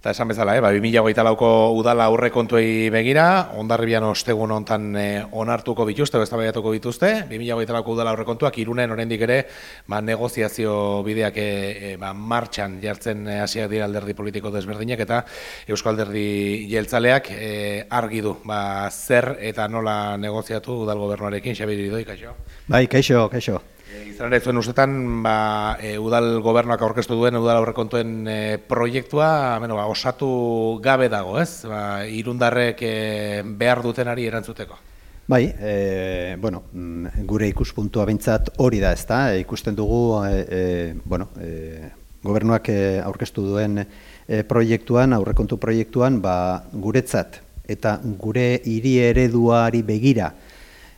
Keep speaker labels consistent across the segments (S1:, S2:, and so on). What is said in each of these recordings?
S1: Eta esan bezala, 2024ko udala aurrekontuei begira, Hondarribian ostegun hontan onartuko bituzte, eztabaidatuko bituzte. 2024ko udala aurrekontuak Irunen oraindik ere negoziazio bideak martxan jartzen hasiak dira alderdi politiko desberdinak eta Eusko Alderdi Jeltzaleak argi du zer eta nola negoziatu udal gobernuarekin. Xabier Iridoi, kaixo.
S2: Bai, kaixo.
S1: Izan ere, zuen ustetan, udal gobernuak aurkeztu duen udal aurrekontuen proiektua osatu gabe dago, ez? Irundarrek behar dutenari erantzuteko.
S2: Bai, gure ikuspuntua behintzat hori da, ezta? Ikusten dugu, gobernuak aurkeztu duen proiektuan, aurrekontu proiektuan, guretzat eta gure hiri ereduari begira,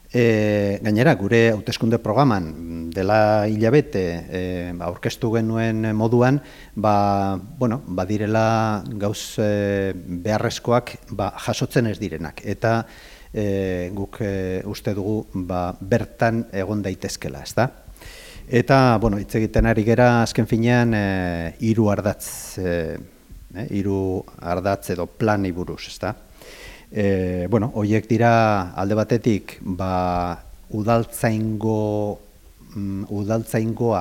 S2: gainera, gure hauteskunde programan dela hilabete aurkeztu genuen moduan, badirela gauz beharrezkoak jasotzen ez direnak. Eta guk uste dugu bertan egon daitezkela, ezta? Eta, hitz egiten ari gera azken finean hiru ardatz edo plani buruz, ezta? Horiek dira alde batetik udaltzaingoa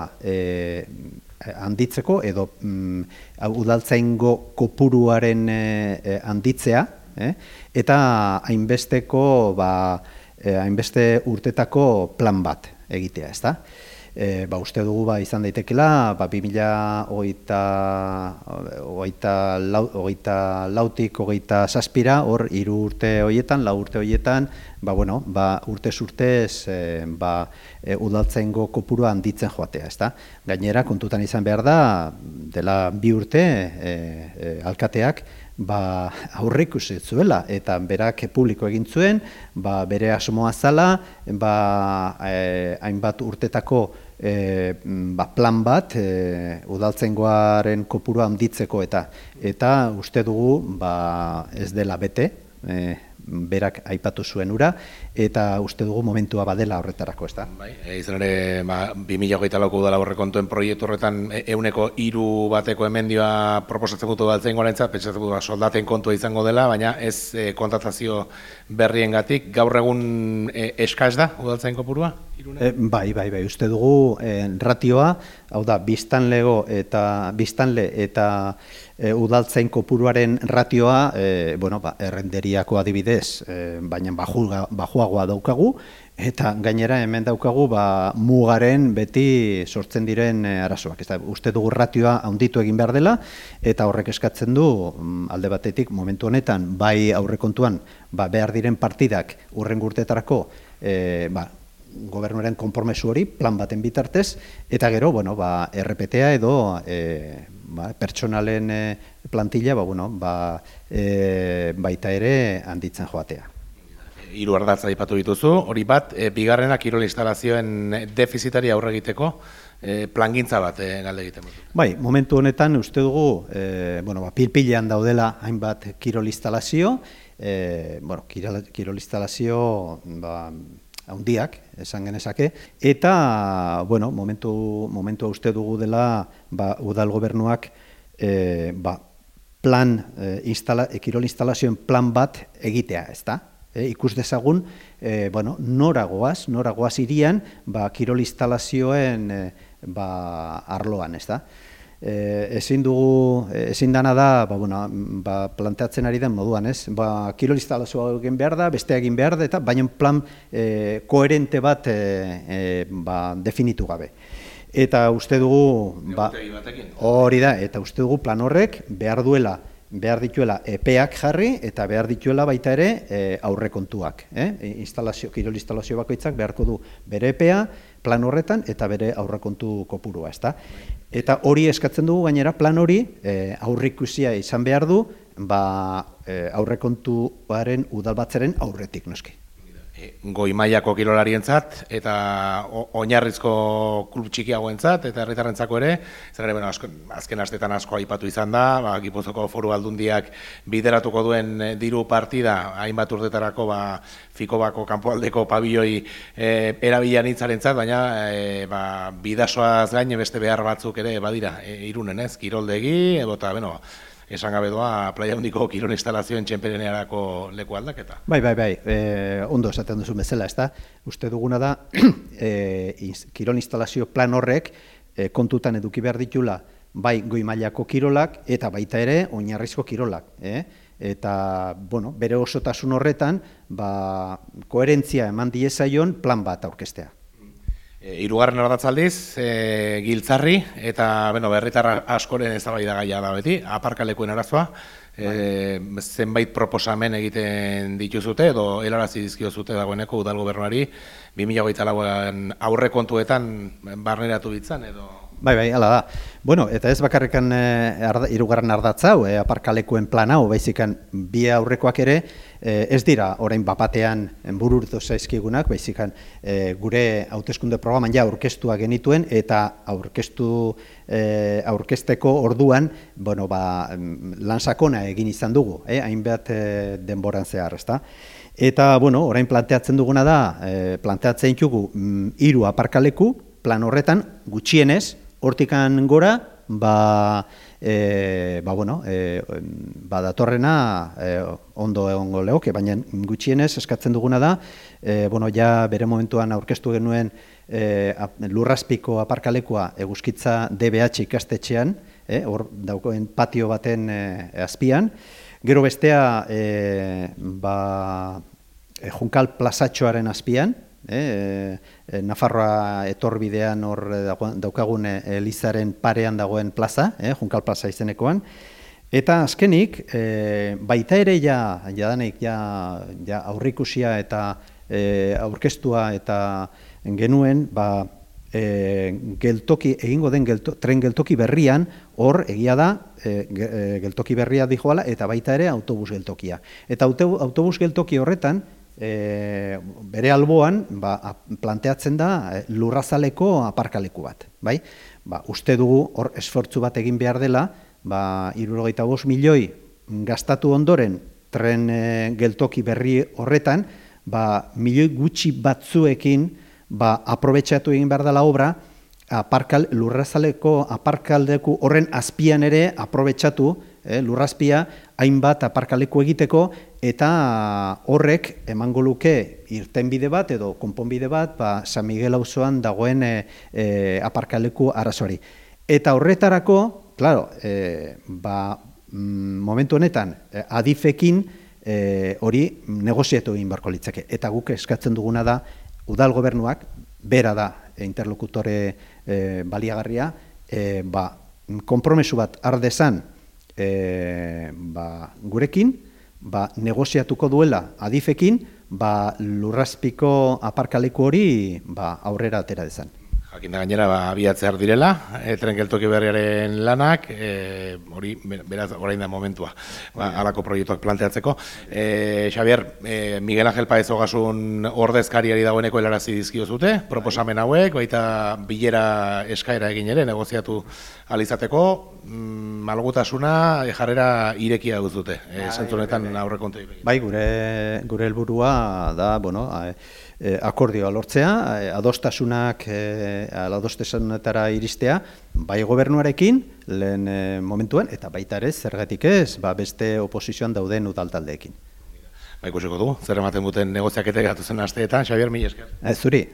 S2: handitzeko edo udaltzaingo kopuruaren handitzea eta hainbeste urtetako plan bat egitea, ezta? Uste dugu izan daitekela 2024tik 2027 hor 3 urte horietan, 4 urte horietan, urtez urtez udaltzaingo kopurua handitzen joatea, ezta? Gainera kontutan izan behar da dela 2 urte alkateak aurreikusi zuela eta berak publiko egin zuen, bere asmoa zala, hainbat urtetako plan bat udaltzaingoaren kopurua handitzeko eta uste dugu ez dela bete, berak aipatu zuen ura, eta uste dugu momentua badela horretarako, ez da?
S1: Izan ere, 2024ko udala aurrekontuen proiektu horretan 3% bateko emendioa proposatzen dut udaltzaingoarentzat, pentsatzen dut soldaten kontua izango dela, baina ez kontratazio berriengatik. Gaur egun eskaz da udaltzain kopurua?
S2: Bai, uste dugu ratioa, hau da, biztanle eta udaltzain kopuruaren ratioa, errenderiako adibidez, baina bajuagoa daukagu, eta gainera hemen daukagu mugaren beti sortzen diren arazoak. Uste dugu ratioa handitu egin behar dela, eta horrek eskatzen du, alde batetik, momentu honetan, bai aurrekontuan, behar diren partidak urrengo urteetarako, gobernuaren konpromesu hori, plan baten bitartez, eta gero, RPTA edo pertsonalen plantilla, baita ere handitzen joatea.
S1: 3 ardatz aipatu dituzu, hori bat, bigarrena kirol instalazioen defizitari aurre egiteko, plangintza bat galde egiten dut.
S2: Bai, momentu honetan uste dugu, pilpilean daudela hainbat kirol instalazio, kirol instalazio handiak, esan genezake, eta, momentua uste dugu dela, udal gobernuak, kirol instalazioen plan bat egitea, ez da? Ikus dezagun, noragoaz irian, kirol instalazioen arloan, ez da? Ezin dana da, planteatzen ari den moduan, ez? Kirol instalazioa egin behar da, beste egin behar da, eta baina plan koherente bat definitu gabe. Eta uste dugu, hori da, eta uste dugu plan horrek behar dituela epeak jarri eta behar dituela baita ere aurrekontuak. Kirol instalazio bakoitzak beharko du bere epea, plan horretan eta bere aurrekontu kopurua, ezta? Eta hori eskatzen dugu gainera plan hori aurreikusia izan behar du aurrekontuaren udalbatzaren aurretik, noski.
S1: Goi mailako kirolarientzat eta oinarrizko klub txikiagoentzat eta herritarrentzako ere, azken astetan asko aipatu izan da, Gipuzkoako Foru Aldundiak bideratuko duen diru partida hainbat urtetarako Fikobako kanpoaldeko pabiloi erabilan hitzarentzat, baina bidasoaz gain beste behar batzuk ere badira Irunen, ez? Kiroldegi, eta esan gabe doa playa handiko kirol instalazioen txenperenerako leku aldaketa.
S2: Bai, ondo esaten duzu bezala, ezta? Uste duguna da, kirol instalazio plan horrek kontutan eduki behar ditula, bai goi mailako kirolak eta baita ere oinarrizko kirolak. Eta, bueno, bere osotasun horretan, koherentzia eman diezaion plan bat aurkeztea.
S1: Hirugarren ardatzaldiz, Giltzarri, eta berritar askoren eztabaidagaia da beti, aparkalekuen arazoa, zenbait proposamen egiten dituzute, edo helarazi dizkiozute dagoeneko udal gobernuari, 2024an aurrekontuetan barneratu bitzan, edo...
S2: Bai, hala da. Bueno, eta ez bakarrekan hirugarren ardatza hau, aparkalekuen plan hau, baizikan bi aurrekoak ere, ez dira orain bapatean bururtu zaizkigunak, baizikan gure hauteskunde programan ja aurkeztua genituen, eta aurkezteko orduan, lan sakona egin izan dugu, hainbat denboran zehar, ezta? Eta, orain planteatzen duguna da, planteatzen ditugu 3 aparkaleku, plan horretan, gutxienez, hortikan gora, datorrena ondo egongo lehoke, baina gutxienez eskatzen duguna da, ja bere momentuan aurkeztu genuen Lurrazpiko aparkalekua Eguzkitza DBH ikastetxean, hor daukoen patio baten azpian, gero bestea Junkal plazatxoaren azpian, Nafarroa etorbidean hor daukagun Elizaren parean dagoen plaza, Junkal plaza izenekoan, eta azkenik, baita ere jadanik aurrikusia eta aurkeztua eta genuen, egingo den tren geltoki berrian, hor egia da, geltoki berria dijoala, eta baita ere autobus geltokia. Eta autobus geltoki horretan, bere alboan planteatzen da lurrazaleko aparkaleku bat. Uste dugu hor esfortzu bat egin behar dela, 75 milioi gastatu ondoren tren geltoki berri horretan, milioi gutxi batzuekin aprobetxatu egin behar dela obra, lurrazaleko aparkaldeku horren azpian ere aprobetxatu, lurrazpia hainbat aparkaleku egiteko, eta horrek emango luke irtenbide bat edo konponbide bat San Miguel auzoan dagoen aparkaleku arazoari. Eta horretarako, claro, momentu honetan adifekin hori negoziatu egin beharko litzake. Eta guk eskatzen duguna da, udal gobernuak, bera da interlokutore baliagarria, konpromesu bat ardezan gurekin, negoziatuko duela adifekin, Lurrazpiko aparkaleku hori aurrera atera dezan.
S1: Jakinda gainera, abiatzear direla, tren geltoki berriaren lanak, hori, beraz, orain da momentua, halako proiektuak planteatzeko. Xabier, Miguel Ángel Paez Ogasun ordezkariari dagoeneko helarazi dizkiozute, proposamen hauek, baita bilera eskaera egin ere, negoziatu alizateko, malgutasuna jarrera irekia duzute, zentzunetan aurrekontu egin.
S2: Bai, gure helburua da, akordioa lortzea, adostasunetara iristea, bai gobernuarekin, lehen momentuan, eta baita ere, zergatik ez, beste oposizioan dauden udaltaldeekin.
S1: Ikusiko dugu, zer ematen duten negoziaketek gatozen asteetan, Xabier, mila esker.
S2: Zuri.